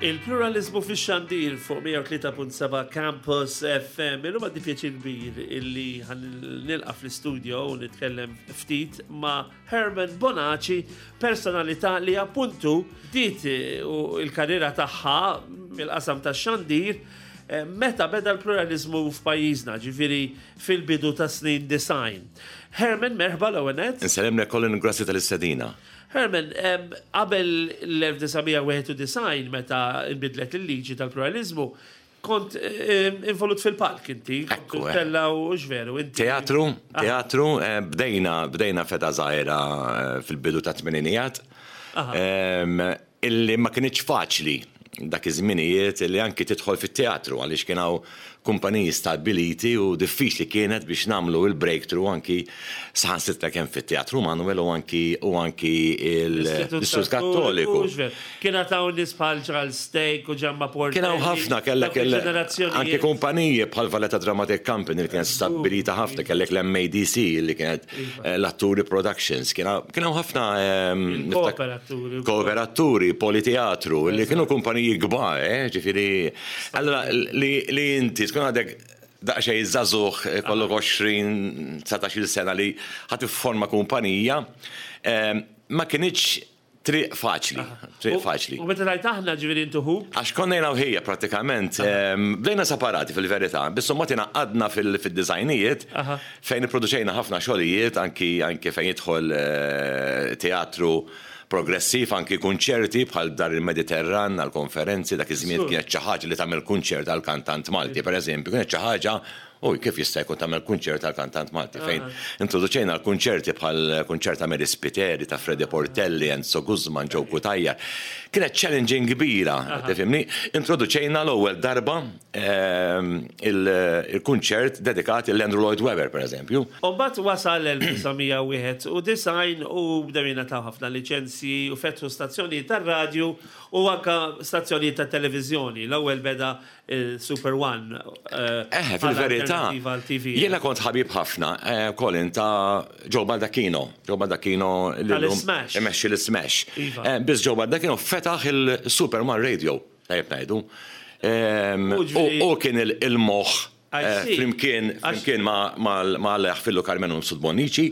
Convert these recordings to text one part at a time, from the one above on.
Il-pluralizmu fix-xandir fuq 103.7 Campus FM. Illum għandi pjaċir kbir illi nilqa fl-istudio u nitkellem ftit ma' Herman Bonaci, personalità li appuntu bdiet eh, il-karriera tagħha mill-qasam tax-xandir eh, meta beda l-pluralizmu f'pajjiżna, ġifieri fil-bidu ta' snin design. Herman, merħba l-ewwel nett. Insellimlek Colin, grazzi tal-istedina. Herman, qabel l-1991 meta nbidlet il-liġi tal-pluralizmu, kont involut fil-palk inti, kont tella u x'veru inti. Teatru, teatru, bdejna, bdejna f'età żgħira fil-bidu tat-tmeninijat. Illi ma kinitx faċli dak iż-żminijiet illi anki tidħol fit-teatru għaliex kien hawn kumpaniji stabbiliti u diffiċli kienet biex nagħmlu l-breakthrough anki saħansitra kemm fit-Teatru Manoel u anki u anki l-Istitut Kattoliku. Kien għad hawn nies bħal Charles Steak u Ġamma Portelli. Kien hawn ħafna kellek anki kumpaniji bħal Valletta Dramatic Company li kienet stabbilita ħafna, kellek l-MADC li kienet l-Atturi Productions, kien hawn ħafna Kooperaturi. Kooperaturi, Politeatru, li kienu kumpaniji kbar, ġifieri. Allura li inti tkun għadek daqsxejn żagħżugħ, ikollok 20, 19-il sena li ħa tifforma kumpanija, ma kinitx triq faċli, triq faċli. U meta tgħid aħna ġifieri intu ħuk? Għax konna jiena u ħija prattikament, bdejna separati fil-verità, biss imbagħad ingħaqadna fid-designijiet fejn ipproduċejna ħafna xogħlijiet anki anki fejn jidħol teatru progressiv, anki kunċerti bħal Dar il-Mediterran għall-konferenzi, dak iż-żmien kienet xi ħaġa li tagħmel kunċert għal kantant Malti, pereżempju, kienet xi ħaġa Uj, kif jista' jkun tagħmel kunċert għal kantant Malti fejn introduċejna l-kunċerti bħal kunċert ta' Mary Spiteri, ta' Freddie Portelli, Enzo Guzman, Joe Cutajar. Kienet challenging kbira, tifhimni? Introduċejna l-ewwel darba il-kunċert dedikat lil Andrew Lloyd Webber, pereżempju. U mbagħad wasal l-1991 u bdew jingħataw ħafna liċenzji u fetħu stazzjonijiet tar-radju u anke stazzjonijiet tat-televiżjoni. L-ewwel beda Super One. Eħe, fil-verità, jiena kont ħabib ħafna, Colin, ta' Joe Baldacchino. Joe Baldacchino li Tal-Smash. Imexxi l-Smash. Iva. Biss Joe Baldacchino fetaħ il-Super One Radio, tajjeb ngħidu. U kien il-moħħ flimkien flimkien ma' l-Fillu Karmenu Mifsud Bonnici,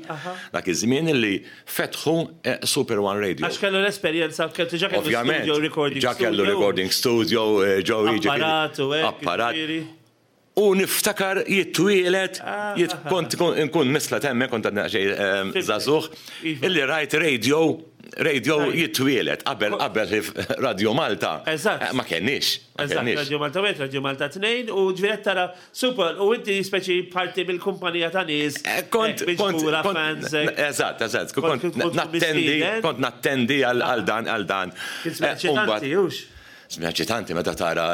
dak iż-żmien li fetħu Super One Radio. Għax kellu l-esperjenza, kellu diġà kellu studio, recording studio. Ġa kellu recording studio, Joe jiġifieri. Apparat u hekk. Apparat. U niftakar jitwieled, kont nkun misla hemmhekk, kont għadni daqsxejn żagħżugħ, illi rajt radio, radio jitwieled qabel qabel Radio Malta. Ma kenniex. Eżatt, Radio Malta 1, Radio Malta 2, u ġifieri qed tara Super, u inti speċi parti mill-kumpanija ta' nies. Kont, kont, kont, eżatt, eżatt, kont nattendi, kont nattendi għal dan, għal dan. Kien żmien eċitanti, hux? Żmien eċitanti meta tara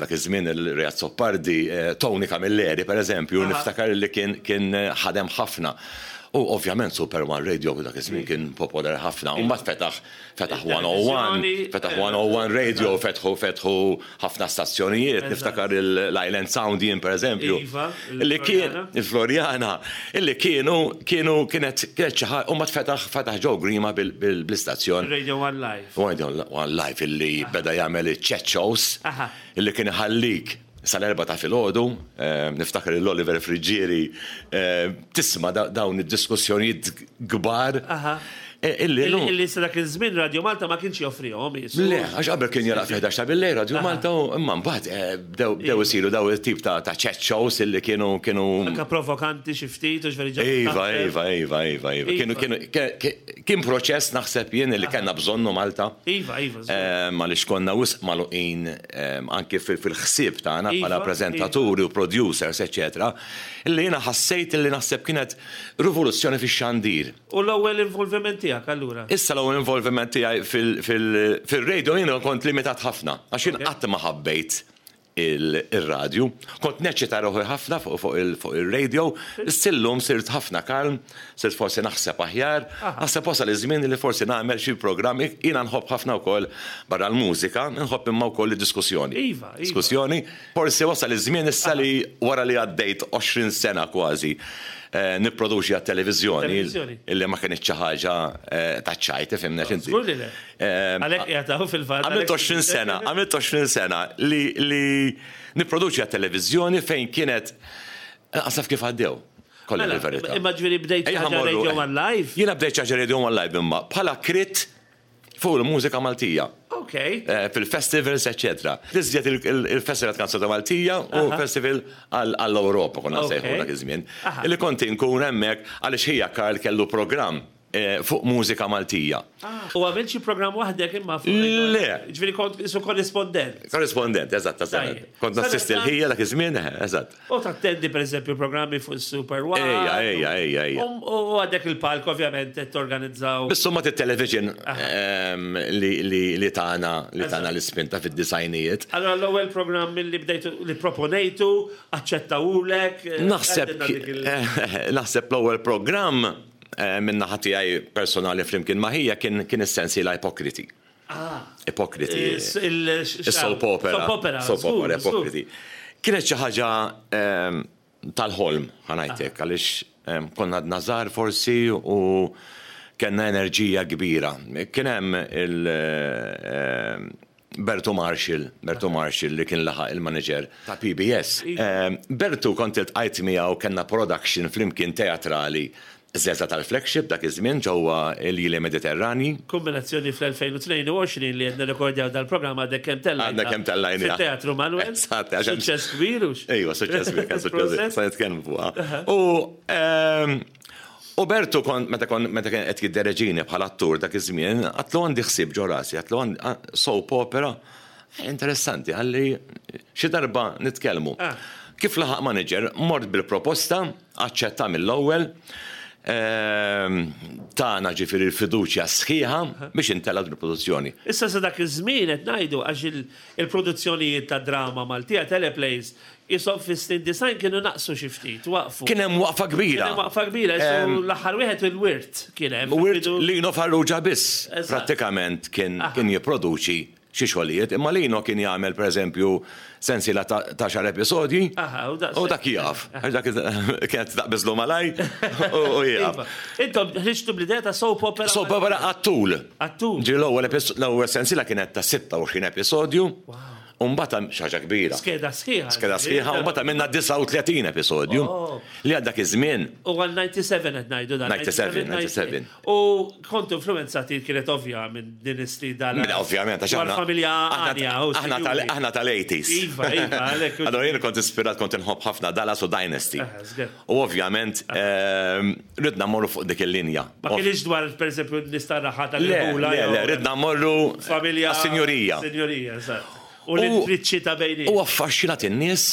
dak iż-żmien il-Re Azzopardi, Tony Camilleri, per eżempju, niftakar li kien kien ħadem ħafna. U ovvjament Super One Radio dak iż-żmien kien popolari ħafna. U mbagħad fetaħ fetaħ 101, fetaħ 101 Radio, fetħu fetħu ħafna stazzjonijiet, niftakar l-Island Sound jien pereżempju. Iva, Illi kien il-Floriana, illi kienu kienu kienet kienet xi ħaġa u mbagħad fetaħ fetaħ Joe Grima bl-istazzjon. Radio One Live. Radio One Live illi beda jagħmel iċ-chat shows illi kien iħallik sal-erbgħa ta' filgħodu, niftakar lil Oliver Friggieri tisma' dawn id-diskussjonijiet kbar. Illi llum. Illi sa dak iż-żmien Radio Malta ma kienx joffrihom qisu. Le, għax qabel kien jagħlaq fil-ħdax ta' billejl Radio Malta u imma mbagħad bdew bdew isiru dawn it-tip ta' ta' chat shows illi kienu kienu. Anke provokanti xi ftit u x'veri ġa. Iva, iva, iva, iva, iva. Kienu kienu kien proċess naħseb jien illi kellna bżonnu Malta. Iva, iva. Għaliex konna wisq magħluqin anke fil-ħsieb tagħna bħala preżentaturi u producers eċċetera, illi jiena ħassejt illi naħseb kienet rivoluzzjoni fix-xandir. U l-ewwel involviment tiegħek allura? Issa l-ewwel involviment tiegħi fil-radio jiena kont limitat ħafna għax jien qatt ma ħabbejt ir-radju. Kont neċċita ruħi ħafna fuq ir-radio, issa illum sirt ħafna kalm, sirt forsi naħseb aħjar, naħseb wasal iż-żmien li forsi nagħmel xi programm, jiena nħobb ħafna wkoll barra l-mużika, nħobb imma wkoll id-diskussjoni. Iva, iva. Diskussjoni. Forsi wasal iż-żmien issa li wara li għaddejt 20 sena kważi. nipproduċi għat-televiżjoni illi ma kinitx xi ħaġa taċ-ċajt, ifhimna x'inti. Żgur li le. Għalhekk qiegħed hawn fil-fatt. Għamilt 20 sena, għamilt 20 sena li nipproduċi għat-televiżjoni fejn kienet lanqas naf kif għaddew. Kolli Mela, l-verità. Imma ġifieri bdejt Ejja ħaġa ħa mmorru, Radio One Live. Jiena bdejt xi ħaġa Radio One Live imma bħala krit fuq il-mużika Maltija. Ok. Fil-festivals, eċċetera. L-iżjed il-Festival Kanzunetta Maltija u festival għall-Ewropa konna nsejħu dak iż-żmien. Illi kont inkun hemmhekk għaliex ħija Karl kellu programm fuq mużika Maltija. U għamilt xi programm waħdek imma fuq. Le. Ġifieri kont qisu korrispondent. Korrispondent, eżatt, eżatt. Kont nassisti l-ħija dak iż-żmien, eżatt. U tattendi pereżempju programmi fuq is-Super One. Ejja, ejja, ejja, ejja. U għadek il-palk ovvjament qed torganizzaw. Biss imbagħad it-television li tana li tana l-ispinta fid-disgħinijiet. Allura l-ewwel programm li bdejtu li proponejtu, aċċettawulek. Naħseb naħseb l-ewwel programm min-naħa tiegħi personali flimkien ma' ħija kien kien is-sensiela Ipokriti. Ah. Ipokriti. Is-soap opera. Soap opera. Soap opera, Ipokriti. Kienet xi ħaġa ehm, tal-ħolm, ħanajtek, ah. għaliex ehm, konna għadna żgħar forsi u kellna enerġija kbira. Kien hemm il- ehm, Bertu Marshall, Bertu Marshall li kien laħaq il-manager ta' PBS. Bertu kont iltqajt miegħu kellna production flimkien teatrali Żeża tal-Flagship dak iż-żmien ġewwa l-Ili Mediterranji. Kumbinazzjoni fl-2022 li qed nirrekordjaw dal-programm għadek kemm tellajtha. Għadna kemm tellajniha. Fit-Teatru Manuel. Eżatt. Suċċess kbir hux? Ejwa, suċċess kbir, kien suċċess. Se nitkellmu fuqha. U u Bertu kont meta kont meta kien qed jiddereġini bħala attur dak iż-żmien, għadtlu għandi ħsieb ġo rasi, għadtlu għandi soap opera. Interessanti, qalli xi darba nitkellmu. Kif laħaq manager, mort bil-proposta, Aċċetta mill-ewwel, tana ġifieri l-fiduċja sħiħa biex intellgħu din il-produzzjoni. Issa sa dak iż-żmien qed ngħidu għax il-produzzjonijiet ta' drama Maltija, teleplays, qishom fis-snin 90 kienu naqsu xi ftit, waqfu. Kien hemm waqfa kbira. Kien hemm waqfa kbira, qisu l-aħħar wieħed il-Wirt kien hemm. Wirt Lino Farrugia biss prattikament kien jipproduċi xi xogħlijiet, imma Lino kien jagħmel pereżempju sensiela ta' għaxar episodji u dak jieqaf. Għax dak kienet taqbiżlu malajr u jieqaf. Iva. Intom ħriġtu bl-idea ta' soap opera. Soap opera għat-tul. Għat-tul. Ġifieri l-ewwel sensiela kienet ta' 26 episodju. U mbagħad xi ħaġa kbira. Skeda sħiħa. Skeda sħiħa u mbagħad għamilna 39 episodju. Li għal dak iż-żmien. U għal 97 qed ngħidu dan. 97, 97. U kontu influenzati kienet ovvja minn din is-sfida. Mela ovvjament għax aħna. Familja għanja. Aħna tal-80s. Iva, iva, għalhekk. Allora jien kont ispirat kont inħobb ħafna Dallas u Dynasty. U ovvjament ehm, ridna mmorru fuq dik il-linja. Ma kienx dwar pereżempju nista' raħa tal-ħula. Le, le, ridna mmorru familja. Sinjurija. Sinjurija, eżatt. U l-intriċċi ta' bejni. U affaxxinat in-nies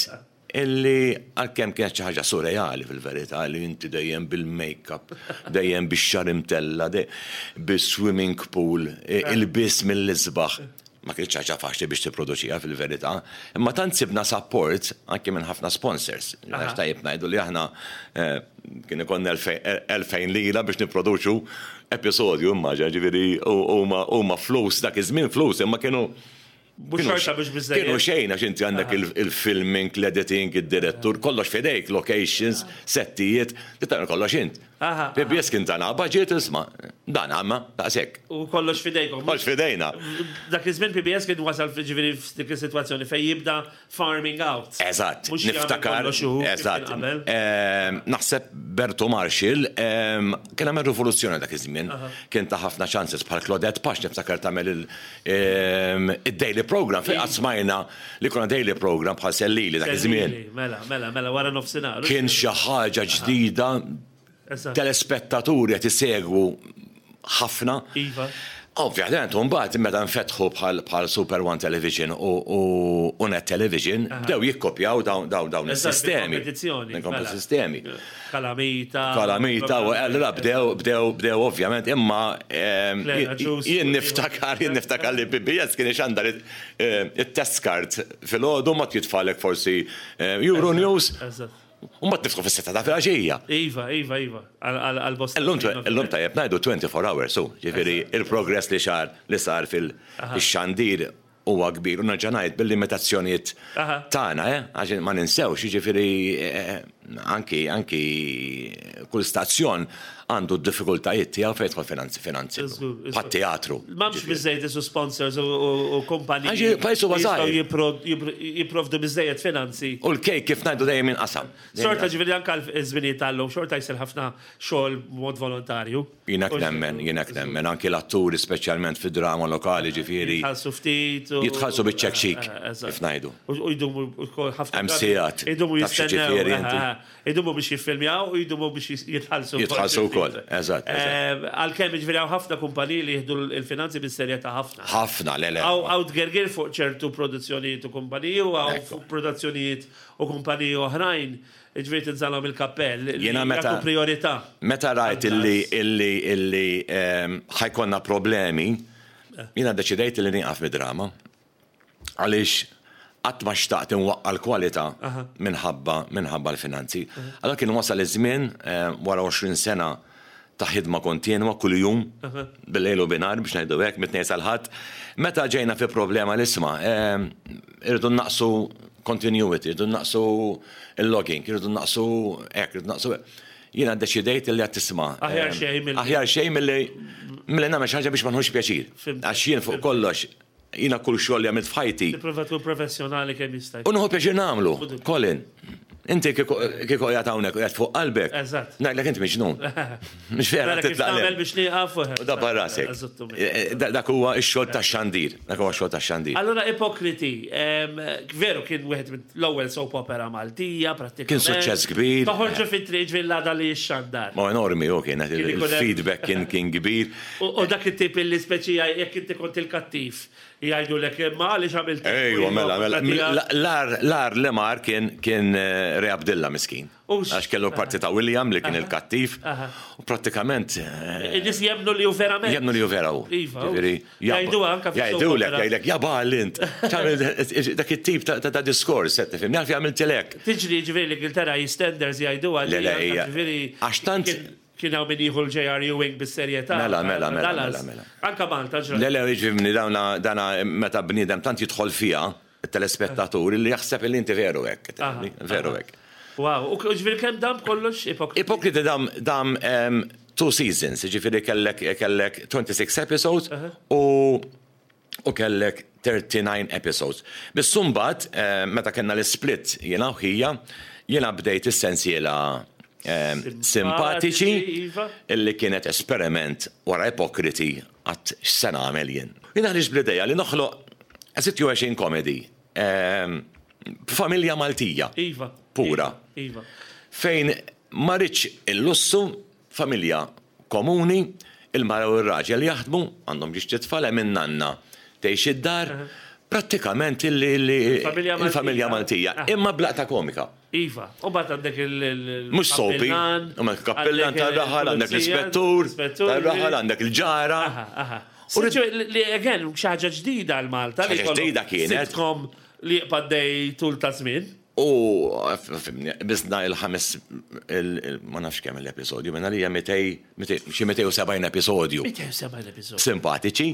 Illi għalkemm kienet xi ħaġa surreali fil-verità li inti dejjem bil-makeup, dejjem bix-xagħar imtella', bis-swimming pool, ilbies mill-isbaħ. Ma kinitx ħaġa faċli biex tipproduċiha fil-verità, imma tant sibna support anke minn ħafna sponsors. Għax tajjeb ngħidu li aħna kien ikollna 2000 lira biex nipproduċu episodju, immaġina, ġifieri huma flus dak iż-żmien flus imma kienu Mhux xorta mhux biżżejjed. Kienu xejn għax inti għandek il-filming, l-editing, id-direttur, kollox f'idejk, locations, settijiet, tagħmel kollox int. PBS kien tana budget isma' dan għamma daqshekk. U kollox f'idejkom. Kollox f'idejna. Dak iż-żmien PBS kien wasal ġifieri f'dik is-sitwazzjoni fejn jibda farming out. Eżatt, niftakar. Eżatt. Naħseb Bertu Marshall kien għamel rivoluzzjoni dak iż-żmien. Kien ta ħafna chances bħal Claudette Pax niftakar tagħmel id-daily program fejn qatt smajna li konna daily program bħal Sellili dak iż-żmien. Mela, mela, mela, wara nofsinhar. Kien xi ħaġa ġdida, telespettaturi qed isegwu ħafna. Iva. Ovvjament, mbagħad meta nfetħu bħal Super One Television u Net Television, bdew jikkopjaw dawn is-sistemi. Kompetizzjoni. Mela. Sistemi. Kalamita. Kalamita, u allura bdew, bdew, bdew ovvjament, imma jien niftakar, jien niftakar li PBS kien ixandar it-test card filgħodu ma jitfalek forsi Euro News. U mbagħad niftħu fis-sitta ta' filgħaxija. Iva, iva, iva, għal-bosta. Illum tajjeb ngħidu 24 hours, hu, ġifieri il-progress li xar li sar fil-xandir. huwa kbir u nerġa' ngħid bil-limitazzjonijiet tagħna, eh, għax ma ninsewx, jiġifieri anki anki kull stazzjon għandu d-diffikultajiet tiegħu fejn jidħol finanzi finanzi. Bħat-teatru. M'hemmx biżejjed isu sponsors u kumpaniji. Għax pajjiż huwa żgħir. Jipprovdu biżejjed finanzi. U l-kejk kif ngħidu dejjem jinqasam. Xorta ġifieri anke l-żminijiet tal-lum xorta jsir ħafna xogħol b'mod volontarju. Jien hekk nemmen, jien hekk nemmen. Anki l-atturi speċjalment fid-drama lokali ġifieri. Jitħallsu ftit. Jitħallsu biċ-ċekċik, kif ngħidu. U jdumu wkoll ħafna. Hemm sigħat. Idumu jistennew. Idumu biex jiffilmjaw u jdumu biex jitħallsu. Jitħallsu wkoll, eżatt. Għalkemm jiġifieri hawn ħafna kumpaniji li jieħdu l-finanzi bis-serjetà ħafna. Ħafna, le le. Hawn tgergir fuq ċertu produzzjonijiet u kumpaniji u hawn fuq produzzjonijiet u kumpaniji oħrajn, jiġifieri tinżalhom il-kappell li jagħtu prijorità. Meta rajt illi illi illi ħa jkollna problemi, jiena ddeċidejt illi nieqaf mid-drama. Għaliex qatt ma xtaqt inwaqqa' l-kwalità minħabba minħabba l-finanzi. Allura kien wasal iż-żmien wara 20 sena ta' ħidma kontinwa kuljum, bil-lejl u binhar biex ngħidu hekk, mit-Tnejn sal-Ħadd, meta ġejna fi problema li isma' irridu nnaqqsu continuity, irridu nnaqqsu l-logging, irridu nnaqqsu hekk, irridu nnaqqsu hekk. Jiena ddeċidejt li għad tisma'. Aħjar xejn milli. Aħjar xejn milli milli nagħmel xi ħaġa biex ma nħux pjaċir. Għax jien fuq kollox, jiena kull xogħol li għamilt f'ħajti. Tipprova tkun professjonali kemm jista' jkun. U nieħu pjaċir nagħmlu, Colin. Inti kieku qiegħed hawnhekk u qiegħed fuq qalbek. Eżatt. Ngħidlek int miġnun. Mhux vera Mela kif titlaq tagħmel biex nieqaf. U dabbar rasek. Dak huwa x-xogħol tax-xandir. Dak huwa x-xogħol tax-xandir. Allura Ipokriti, veru kien wieħed mill-ewwel soap opera Maltija prattikament. Kien suċċess kbir. Toħorġu fit-triq ġifieri l-għada li jixxandar. Ma enormi hu kien, il-feedback kien kbir. U dak it-tip illi speċi jekk inti kont il-kattiv Jgħidulek imma għaliex għamilt hekk. Ejwa, mela, mela. L-agħar li mar kien kien Re Abdilla miskin. Għax kellu l-parti ta' William li kien il-kattiv. U prattikament. In-nies jemmnu li hu verament. Jemmnu li hu vera hu. Iva. Jgħiduha anke fis Jgħidulek, jgħidlek, ja bagħal int. Dak it-tip ta' diskors, qed tifhimni, għalfejn għamiltilek. Tiġri ġifieri l-Ingilterra EastEnders jgħiduha. Le, le, hija. Għax tant. Kien hawn min jieħu l-J.R. Ewing bis-serjetà. Mela, mela, mela, mela, mela. Anke Malta ġrat. Le, le, jiġifieri dawna, dana meta bniedem tant jidħol fiha, it-telespettatur, li jaħseb li inti veru hekk. Veru hekk. Wow, u ġifieri kemm dam b'kollox Ipokriti? Ipokriti dam, dam two seasons, jiġifieri kellek, kellek 26 episodes u u kellek 39 episodes. Biss imbagħad meta kellna l-isplit jiena u ħija, jiena bdejt is-sensiela Simpatiċi illi kienet esperiment wara Ipokriti għad x'se nagħmel jien. Jien ħriġt bl-idea li noħloq a situation comedy b'familja Maltija pura. Fejn ma rridx il-lussu Familja komuni, il-mara u r-raġel jaħdmu, għandhom ġiex tfal, hemm in-nanna tgħix id-dar, prattikament il-familja Maltija, imma b'laqta komika. Iva, u mbagħad għandek il- Mhux soapy, għandek il-kappillan tar-raħal, għandek l-ispettur tar-raħal, għandek il-ġara. Li again, xi ħaġa ġdida għal Malta. Xi ħaġa ġdida kienet. Sitcom li jibqa' għaddej tul ta' żmien. U fimni, biżna il-ħames, ma nafx kemm l-episodju, minn għalija xi 270 episodju. 270 episodju. Simpatiċi,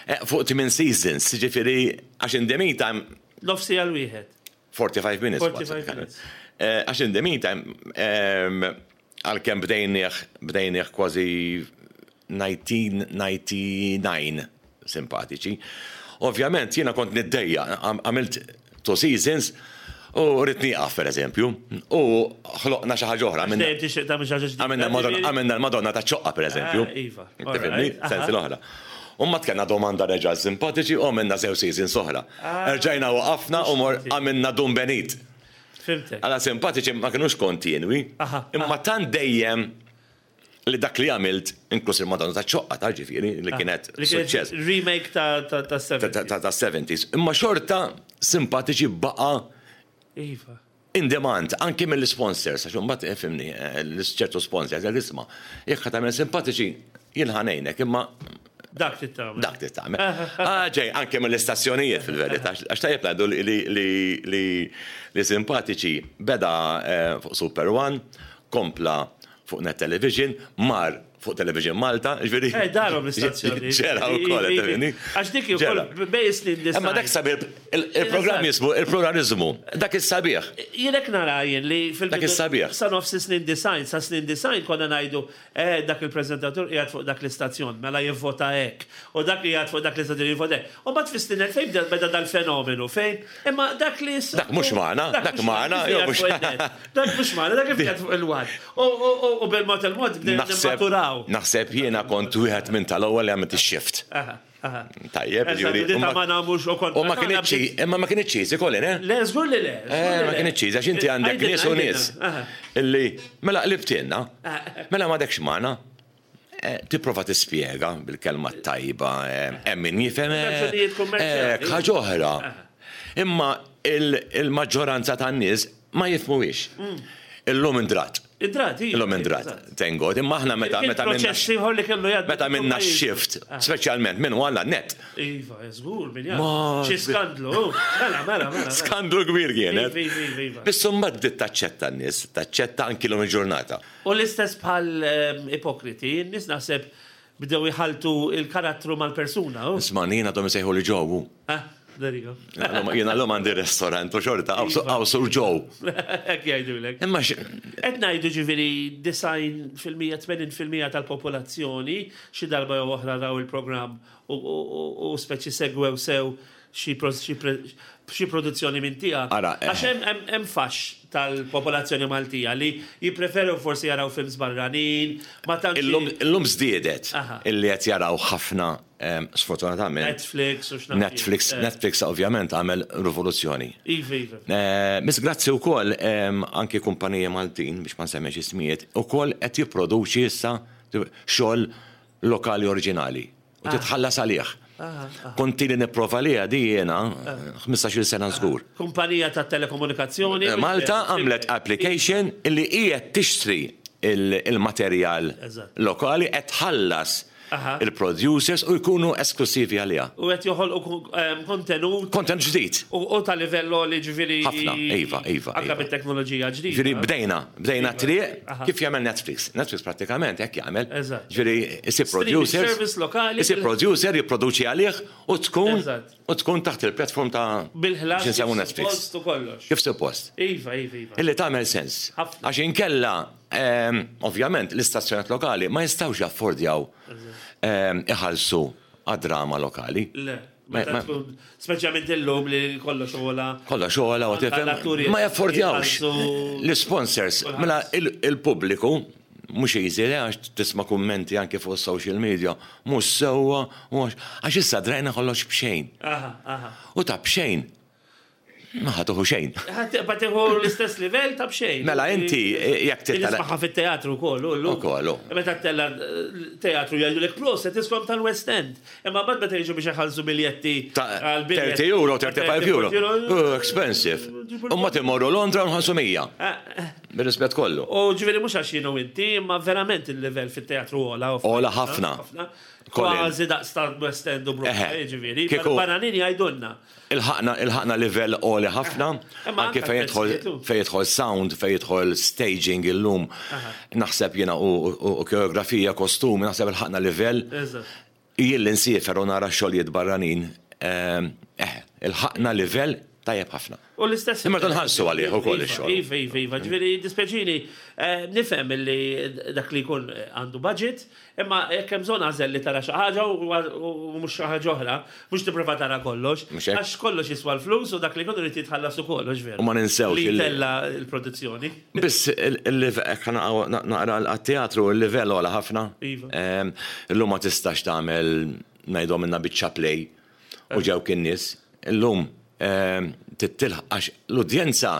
eh, fuq 8 seasons, ġifieri għax in the meantime. Nofsi għal wieħed. 45 minutes. 45 minutes. Eh, għax in the meantime, ehm, għalkemm bdejnieh, bdejnieh kważi 1999 simpatiċi. Ovvjament jiena kont niddejjaq, għamilt two seasons u rrid nieqaf pereżempju. U ħloqna xi ħaġa oħra. Għamilna l-Madonna taċ-Ċoqqa pereżempju. Iva. Tifhimni? Sensi l-oħra. U mbagħad kellna domanda reġa' simpatiċi u għamilna żewġ seasons oħra. Erġajna waqafna u mor għamilna Dun Benit. Fhimtek. Alla simpatiċi ma kinux kontinwi, imma tant dejjem li dak li għamilt, inkluż il-Madonna taċ-Ċoqqa ta' ġifieri, li kienet suċċess. Remake ta' 70s. Ta' 70s. Imma xorta simpatiċi baqa' Iva. in demand, anki mill-sponsors, għax imbagħad eh, fimni, eh, ċertu sponsors, jgħid isma' jekk ħa tagħmel simpatiċi, jien ħa ngħinek, imma Dak trid tagħmel. Dak trid tagħmel. Ah, ġej, anke mill-istazzjonijiet fil-verità, għax tajjeb ngħidu li simpatiċi beda eh, fuq Super One, kompla fuq Net Television, mar fuq Television Malta, ġifieri. Eh, darhom l-istazzjoni. Ġera wkoll, qed tifhimni. Għax dik ukoll bej snin design. Imma dak sabiħ, il-programm jismu il-pluralizmu, dak is-sabiħ. Jien hekk nara jien li fil Dak is-sabiħ. Sa nofs snin design, sa snin design konna ngħidu, eh, dak il-preżentatur qiegħed fuq dak l-istazzjon, mela jivvota hekk. U dak li qiegħed fuq dak l-istazzjon jivvota hekk. U mbagħad fis-snin 2000 beda dal-fenomenu fejn imma dak li Dak mhux magħna, dak magħna, jew mhux. Dak mhux magħna, dak kif qiegħed fuq il-one. U bil-mod il-mod bdejna nimmaturaw. Naħseb jiena kont wieħed minn tal-ewwel li għamilt ix-shift. Tajjeb, ġifieri. U ma kinitx imma ma kinitx easy Colin, eh? Le, żgur li le. Eh, ma kinitx easy għax inti għandek nies u nies illi mela qlibtilna, mela m'għadekx magħna. Eh, tipprova tispjega bil-kelma tajba, eh, hemm min jifhem. Eh, ħaġa oħra. Imma il-maġġoranza tan-nies ma jifhmuhiex. Illum indrat. Indrat, iva. Illum indrat, thank God. Imma aħna meta meta minna. Proċess ieħor li kellu jgħaddi. Meta minna shift, speċjalment minn għalla net. Iva, żgur min jaf. Xi skandlu. Mela, mela, mela. Skandlu kbir kienet. Iva, iva, iva. Biss imbagħad bdiet taċċetta n-nies, taċċetta anki l-lum il-ġurnata. U l-istess bħal ipokriti, n-nies naħseb bdew iħalltu il-karattru mal-persuna. Isma' jien għadhom isejħu li Joe. Ah, there you go. Jiena llum għandi restaurant u xorta hawn sur Joe. Hekk jgħidulek. Imma Qed ngħidu ġifieri 90%, 80% tal-popolazzjoni xi darba jew oħra raw il-programm u speċi segwew sew xi xi produzzjoni minn tiegħek. Ara, eh. Għax hemm faxx tal-popolazzjoni Maltija li jippreferu forsi jaraw films barranin, ma tantx. Illum żdiedet illi qed jaraw ħafna sfortunatament. Netflix u x'naf. Netflix, eh. Netflix ovvjament għamel rivoluzzjoni. Iva, iva. Eh, Miss grazzi wkoll anki kumpaniji Maltin biex ma nsemmix ismijiet, ukoll qed jipproduċi issa xogħol lokali oriġinali. U titħallas għalih. Kont ili nipprova liha di jiena 15-il sena żgur. Kumpanija ta' telekomunikazzjoni. Malta għamlet application illi hi qed tixtri il-materjal lokali qed tħallas il-producers u jkunu esklussivi għaliha. U qed joħolqu kontenut. Kontenut ġdid. U ta' livell għoli ġifieri. Ħafna, iva, iva. Anke bit-teknoloġija ġdida. Ġifieri bdejna, bdejna triq kif jagħmel Netflix. Netflix prattikament hekk jagħmel. Ġifieri isib producer. Service lokali. Isib producer jipproduċi għalih u tkun u tkun taħt il-platform ta' Bil-ħlas. X'insemmu Netflix. Kif kollox. Kif suppost. Iva, iva, iva. Illi tagħmel sens. Għax inkella ehm, ovvjament l-istazzjonat lokali ma jistgħux jaffordjaw ehm, iħallsu għad-drama lokali. Le. Meta tkun, speċjalment illum li kollox ogħla. Kollox ogħla u tifhem. Ma jaffordjawx. L-isponsors, mela il-pubbliku mhux easy le għax tisma' kummenti anke fuq social media, mhux sewwa, għax issa drajna kollox b'xejn. U ta' b'xejn Ma ħa tuħu xejn. Ħa tibqa' tieħu l-istess livell ta' b'xejn. Mela inti jekk titla'. Nismaħħa fit-teatru wkoll. Ukoll. Meta ttella' teatru jgħidulek proset iskom tal-West End. Imma mbagħad meta jiġu biex iħallsu biljetti għal 30 euro, 35 euro. Expensive. U ma timorru Londra u nħallsu 100. Eh, eh. Bir-rispett kollu. U ġifieri mhux għax jienu inti, imma verament il-livell fit-teatru ogħla. Ogħla ħafna. Kważi daqs tal-West End u Broadway, ġifieri. Barranin jgħidulna. Ilħaqna ilħaqna livell għoli ħafna, anke fejn jidħol fejn jidħol sound, fejn jidħol staging illum. Naħseb jiena u koreografija, kostumi, naħseb ilħaqna livell. Jien li nsiefer u nara xogħlijiet barranin, eh, ilħaqna livell tajjeb ħafna. U l-istess. Imma nħallsu għalih ukoll ix-xogħol. Iva, iva, iva, ġifieri dispjaċini, eh, nifhem li dak li jkun għandu budget, Imma jekk hemm bżonn għażel li tara xi ħaġa u mhux xi ħaġa oħra, mhux tipprova tara kollox. Għax kollox jiswa l-flus u dak li jkun irid jitħallas ukoll, hux veru? U ma ninsewx. Li jtella' l-produzzjoni. Biss naqra għat-teatru il-livell ogħla ħafna. Iva. Illum ma tistax tagħmel ngħidhom minna biċċa play u ġewk in-nies. Illum trid tilħaq għax l-udjenza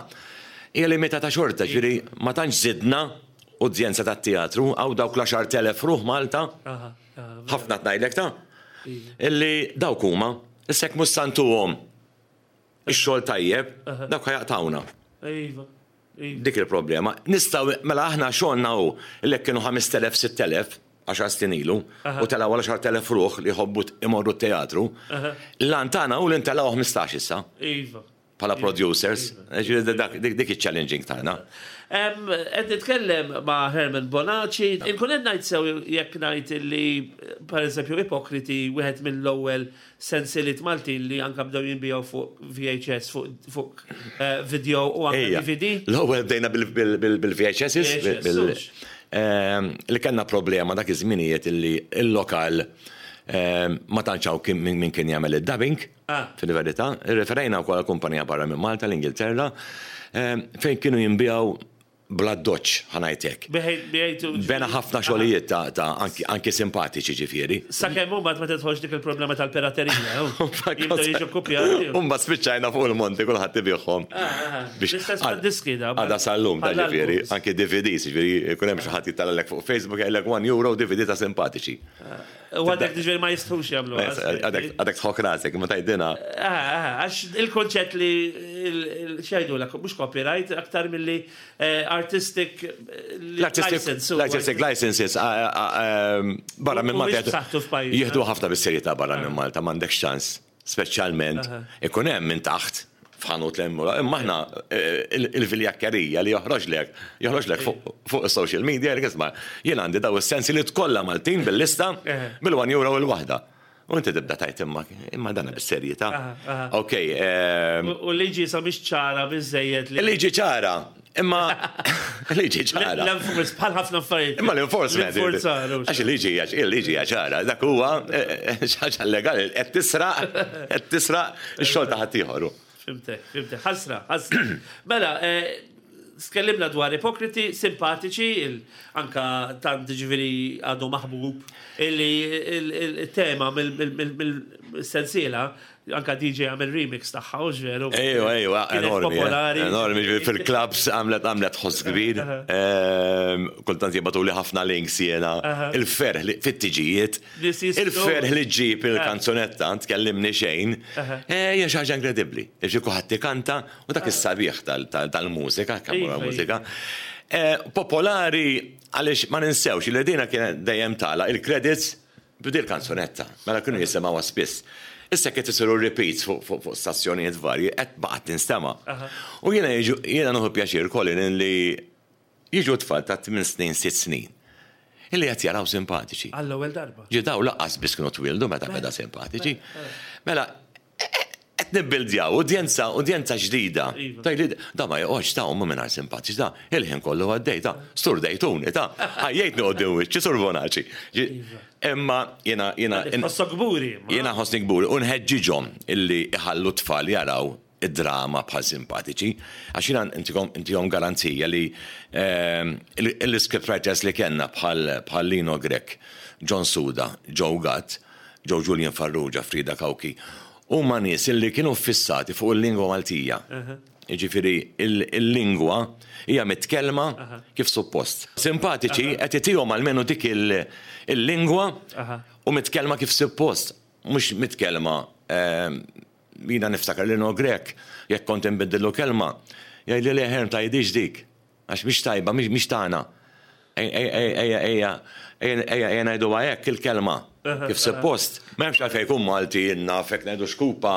hija limitata xorta, ġifieri ma tantx żidna udjenza tat-teatru, hawn dawk l-10,000 ruħ Malta, ħafna qed ngħidlek ta', illi dawk huma, issa jekk mhux sa ntuhom ix-xogħol tajjeb, dawk ħa jaqtgħuna. Iva. Dik il-problema. Nistgħu, mela aħna xogħolna hu li jekk kienu 5,000, 6,000, għaxar snin ilu, u telgħu għal 10,000 ruħ li jħobbu imorru t-teatru, l-għan tagħna hu li ntellgħu 15 issa. Iva. bħala producers. Ġifieri dik iċ-challenging tagħna. Qed nitkellem ma' Herman Bonaci. Inkun qed ngħid sew jekk ngħid li pereżempju Ipokriti wieħed mill-ewwel sensiliet Maltin li anke bdew jinbiegħu fuq VHS, fuq eh, video u anke DVD. L-ewwel bdejna bil-VHS. Li kellna problema dak iż-żminijiet illi l-lokal ma tantx hawn min kien jagħmel id-dubbing. Fil-verità, irreferejna wkoll għal kumpanija barra minn Malta, l-Ingilterra, fejn kienu jinbiegħu bl-addoċċ, ħa ngħid hekk. Bena ħafna xogħlijiet ta' anki simpatiċi ġifieri. Sakemm imbagħad ma tidħolx dik il-problema tal-piraterija. Jibdew jiġu kkupjati. Imbagħad spiċċajna fuq il-monti kulħadd ibigħhom. L-istess bħad-diski da. Għadha sal-lum ta' ġifieri, anki DVDs, ġifieri jkun hemm xi ħadd jittalgħalek fuq Facebook jgħidlek one euro DVD ta' simpatiċi. U għadek ġifieri ma jistħux jagħmlu. Għadek tħok rasek, ma tgħidilna. Eh, eh, għax il-konċett li xejdu l mhux copyright, aktar milli eh, artistic license. L-artistic licenses barra minn Malta. Jieħdu ħafna bis-serjetà barra minn Malta, m'għandekx ċans. Speċjalment ikun hemm minn taħt f'ħanut l imma aħna eh, il-viljakkerija li joħroġlek, joħroġlek fuq is-social media, jgħidlek isma' jien għandi daw is-sensi li tkollha Maltin bil-lista bil-1 euro il-waħda. U inti tibda tajt imma imma dana bis-serjetà. Ok. Ehm, u liġi sa mhix ċara biżejjed li. Liġi ċara. Imma liġi ċara. L-enforcement bħal ħafna affarijiet. Imma l-enforcement. Għax il-liġi il-liġi ċara, dak huwa eh, eh, xi legali qed tisraq qed tisraq ix-xogħol ta' ħaddieħor. Fimtek, fimtek. Ħasra, ħasra. Mela, eh, tkellimna dwar ipokriti, simpatiċi, anka tant ġifieri għadu maħbub, illi il-tema mill-sensiela Anka DJ għamel remix tagħha, u veru. Ejwa, ejwa, enormi. Eh, popolari. Enormi, fil-clubs għamlet għamlet ħoss kbir. Ehm, kultant jibatuli ħafna links jiena. Il-ferħ li fit-tiġijiet. Il-ferħ li ġġib il-kanzunetta, tkellimni xejn. Eh, hija xi ħaġa inkredibbli. Ġi kulħadd ikanta u dak is-sabiħ tal-mużika, kemm iva, mużika. Iva. Eh, popolari għaliex ma ninsewx li dina kienet dejjem tala il-credits B'dil kanzunetta, mela kienu jisimgħuha spiss. Issa qed isiru repeats fuq stazzjonijiet varji qed baqgħet tinstema'. U jiena jiġu jiena nieħu pjaċir Colin li jiġu tfal ta' tmien snin, sitt snin illi qed jaraw simpatiċi. Għall-ewwel darba. Ġi daw lanqas biss kienu twieldu meta beda simpatiċi. Mela Qed nibbildjaw udjenza, udjenza ġdida. Iva. Tgħidli, da ma joqgħodx ta' umma mingħajr simpatiċi, da il-ħin kollu għaddej, ta' sturdejtuni, ta' ħajjejtni quddiem wiċċi Sur Bonaci. Iva. Imma jiena jiena. Tħossok kburi. Jiena nħossni kburi u nħeġġiġhom illi iħallu t-tfal jaraw id-drama bħal simpatiċi, għax jiena intihom garanzija li ehm, l-script writers li kellna bħal Lino Grech, John Suda, Joe Gatt, Joe Julian Farrugia, Frida Cauchi, huma nies illi kienu ffissati fuq il-lingwa Maltija. Jiġifieri il-lingwa hija mitkellma kif suppost. Simpatiċi qed itihom almenu dik il-lingwa u mitkellma kif suppost, mhux mitkellma jiena niftakar Lino Grech jekk kont inbiddillu kelma, jgħidli le Herm tgħidhiex dik. Għax mhix tajba, mhix tagħna. Ejja, ejja, ejja ngħiduha hekk il-kelma. Kif suppost. M'hemmx għalfejn jkun Malti naf jekk ngħidu xkupa,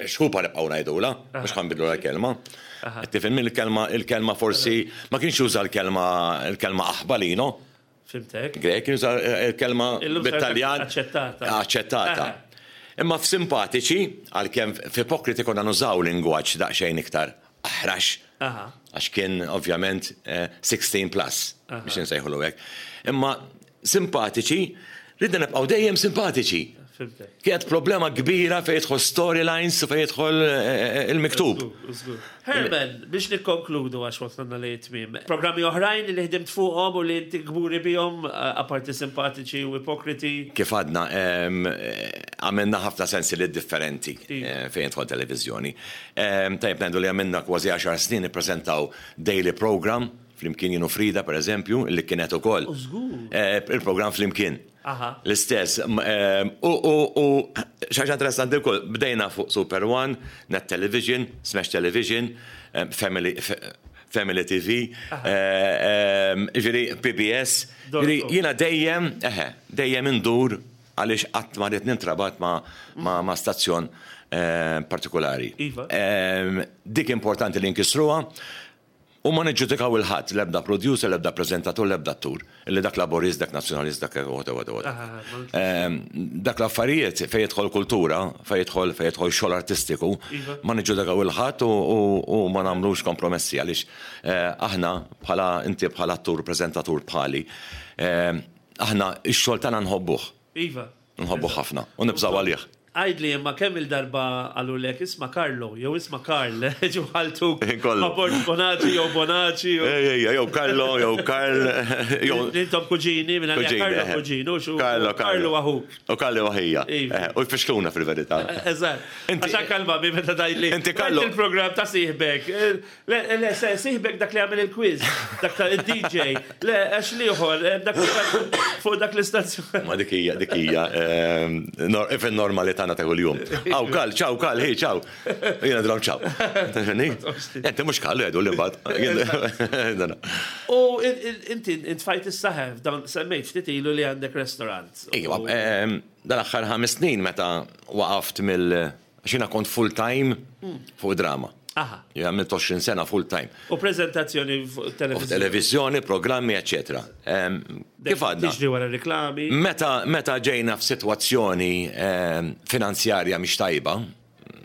xkupa nibqgħu ngħidulha, mhux ħa nbiddlulha l-kelma. Qed tifhimni l-kelma, il-kelma forsi ma kienx juża l-kelma, il-kelma aħba Lino. Fhimtek. Grech kien juża l-kelma bit-Taljan. Aċċettata. Aċċettata. Imma f'simpatiċi, għalkemm f'ipokriti konna nużaw lingwaġġ daqsxejn iktar aħrax, għax kien ovvjament 16 plus, biex insejħulu hekk. Imma simpatiċi, ridna nibqgħu dejjem simpatiċi. Kienet problema kbira fejn jidħol storylines u fejn jidħol il-miktub. Herman, biex nikkonkludu għax wasalna li tmiem. Programmi oħrajn li ħdimt fuqhom u li inti kburi bihom, apparti simpatiċi u ipokriti? Kif għadna, għamilna ħafna sensiliet differenti fejn jidħol televiżjoni. Tajjeb ngħidu li għamilna kważi għaxar snin nippreżentaw daily program flimkien jien u Frida pereżempju li kienet ukoll il-programm flimkien. L-istess. U xi ħaġa interessanti wkoll, bdejna fuq Super One, Net Television, Smash Television, Family Family TV, jiġifieri PBS. Jiġifieri jiena dejjem, eħe, dejjem indur għaliex qatt ma ridt nintrabat ma' stazzjon partikolari. Iva. Dik importanti li nkissruha u ma niġġudikaw 'il ħadd, l-ebda producer, l-ebda preżentatur, l-ebda attur. Illi dak laburist, dak nazzjonalist, dak whatever, whatever, whatever. Dak l-affarijiet fejn jidħol kultura, fejn jidħol fejn jidħol xogħol artistiku, ma niġġudikaw 'il ħadd u ma nagħmlux kompromessi għaliex aħna bħala inti bħala attur, preżentatur bħali, aħna x-xogħol tagħna nħobbuh. Iva. Nħobbuh ħafna u nibżgħu għalih. Għidli imma kemm il-darba qalulek isma' Carlo jew isma' Karl ġew ħaltuk ma' Borg Bonaci jew Bonaci. Ejja, ejja, jew Carlo jew Karl jew. Intom kuġini minn għalija Carlo kuġin hux u Carlo Carlo aħuk. U Carlo aħija. U jfixkluna fil-verità. Eżatt. Għax anke l-mami meta tgħidli. Inti Carlo. Il-programm ta' sieħbek. Le, le, siħbek dak li għamil il-quiz, dak ta' il-DJ, le, għax liħor, eh, dak fuq dak l-istazzjon. Ma dik hija, dik hija, ehm, fil-normali tagħna ta' kuljum. Aw kal, ċaw, kal, hi, ċaw. Jiena drom ċaw. Inti mhux kal jgħidu li mbagħad. U inti intfajt is-saħef, dawn semmejt ftit ilu li għandek restaurant. Iva, ehm, dal-aħħar ħames snin meta waqaft mill- Għax jiena kont full time fuq drama. Aha. Jien għamilt 20 sena full time. U prezentazzjoni fuq televiżjoni. Televiżjoni, programmi, eċetera. Kif għadna? Tiġri wara reklami. Meta meta ġejna f'sitwazzjoni finanzjarja mhix tajba,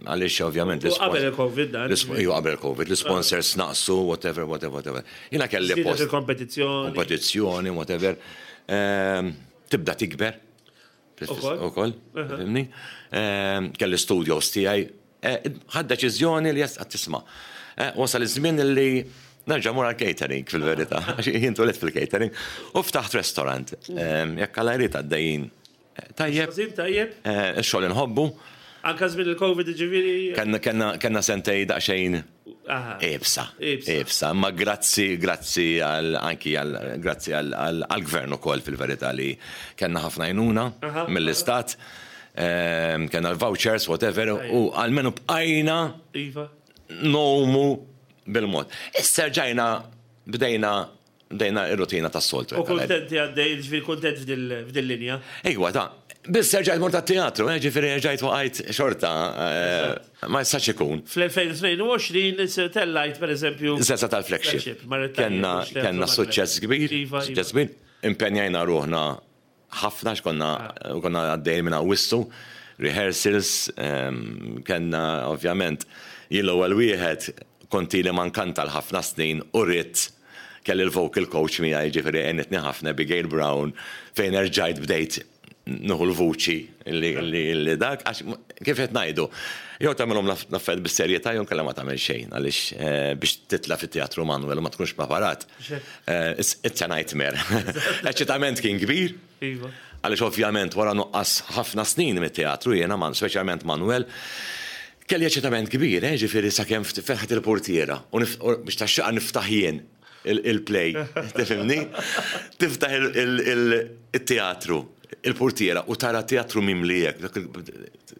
għaliex ovvjament. U qabel il-Covid dan. Iva qabel il-Covid, l-sponsors naqsu, whatever, whatever, whatever. Jiena kelli post. Il-kompetizzjoni. Kompetizzjoni, whatever. Tibda tikber. Ukoll, fimni? Ehm, kelli studios tiegħi. Eh, ħad deċiżjoni li qed tisma'. Eh, wasal iż-żmien li nerġa' mur għal-catering fil-verità, għax jien twelidt fil-catering u ftaħt restaurant. Ehm, jekk għal jrid għaddejjin. Eh, tajjeb. Tajjeb. Ix-xogħol inħobbu. Anka żmien il-Covid ġifieri. Kenna sentej daqsxejn Ibsa. Ibsa. Ma grazzi, grazzi għal anki għal grazzi għal gvern ukoll fil-verità li kellna ħafna għajnuna mill-istat. Ehm, kellna l-vouchers, whatever, u għalmenu bqajna iva. nomu bil-mod. Issa rġajna bdejna Bdejna ir-rutina tas-soltu. U kuntenti għaddej, ġifieri kuntent f'dil-linja. Ejwa, ta' Biss erġajt mort għat-teatru, eh, ġifieri erġajt waqajt xorta, eh, ma jistax ikun. Fl-2022 tellajt pereżempju. Sessa tal-flagship. Kenna kenna suċċess kbir, iva, iva. suċċess kbir. Impenjajna ruħna ħafna x'konna ah. konna għaddejjin minn Awwissu, rehearsals, ehm, kellna ovvjament jien l-ewwel wieħed kont ili ma nkanta l-ħafna snin u ridt kelli l-vocal coach miegħi ġifieri għenitni ħafna Abigail Brown fejn erġajt bdejt nuħu l-vuċi li dak, għax kif qed ngħidu, jew tagħmilhom l-affarijiet bis-serjetà jew inkella ma tagħmel xejn għaliex eh, biex titla' fit-teatru Manuel u ma tkunx preparat. Eh, it's a nightmare. Eċitament kien kbir. Iva. Għaliex ovvjament wara nuqqas ħafna snin mit-teatru jiena, speċjalment Manuel, kelli eċitament kbir, eh, ġifieri sakemm fetħet il-portiera u biex taxxaqa niftaħ jien il-play, tifhimni? Tiftaħ il-teatru, il-portiera u tara teatru mimli hekk,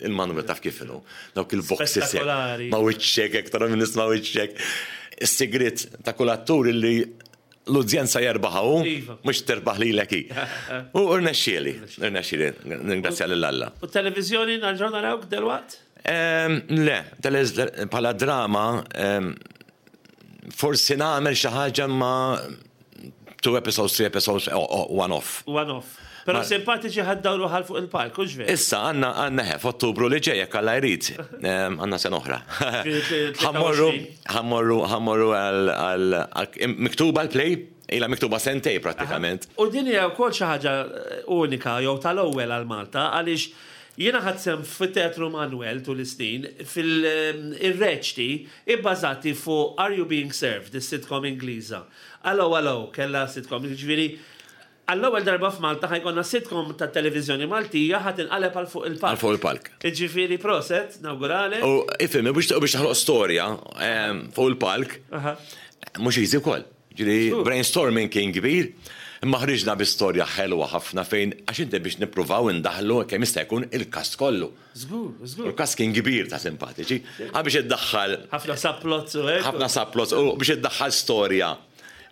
il-Manuel taf kif inhu, dawk il-boxes ma' wiċċek, hekk tara minn ma' wiċċek. Is-sigriet ta' kull attur illi l-udjenza jerbaħha hu, iva. mhux terbaħ lilek hi. U rnexxieli, rnexxieli, ningrazzja lil Alla. U televiżjoni nerġgħu narawk delwaqt? Ehm, le, bħala drama ehm, forsi nagħmel xi ħaġa ma two episodes, three episodes, one off. One off. Pero simpatiċi ħaddawru ħal fuq il-palk, hux veru? Issa, għanna għanna ħe, f'Ottubru li ġej, jekk Alla jrid, ehm, għanna sena oħra. Ħammorru, ħammorru, ħammorru għal miktuba l-play, ila miktuba sentej prattikament. U din hija wkoll xi ħaġa eh, unika jew tal-ewwel għal Malta għaliex jiena ħadt sehem fit-Teatru Manuel tul is-snin fil-reċti ibbażati fuq Are You Being Served, is-sitcom Ingliża. Allo Allo kellha sitcom, jiġifieri għall-ewwel darba f'Malta ħa jkollna sitcom tat-televiżjoni Maltija ħa tinqaleb għal fuq il-palk. Għal fuq il-palk. Jiġifieri proset, nawguralek. U ifhem, biex toħloq storja fuq il-palk, mhux easy wkoll. Ġifieri brainstorming kien kbir, imma ħriġna bi storja ħelwa ħafna fejn għax inti biex nippruvaw indaħħlu kemm jista' jkun il-kast kollu. Żgur, żgur. U l-kast kien kbir ta' simpatiċi. Għal biex iddaħħal. Ħafna subplots u hekk. Ħafna subplots u biex iddaħħal storja.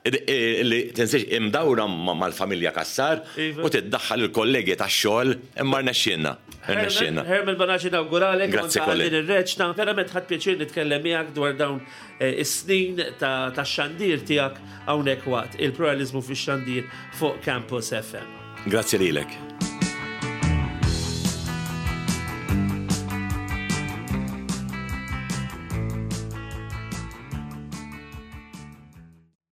Li tinsiex imdawra mal-familja Cassar iva. u tiddaħħal il-kollegi tax-xogħol imma rnexxielna. Rnexxielna. Herman Bonaci nawguralek. Grazzi kolli. Din ir-reċta. Verament ħadd pjaċir nitkellem miegħek dwar dawn eh, is-snin ta' xandir tiegħek hawnhekk waqt il-pluralizmu fix-xandir fuq Campus FM. Grazzi lilek.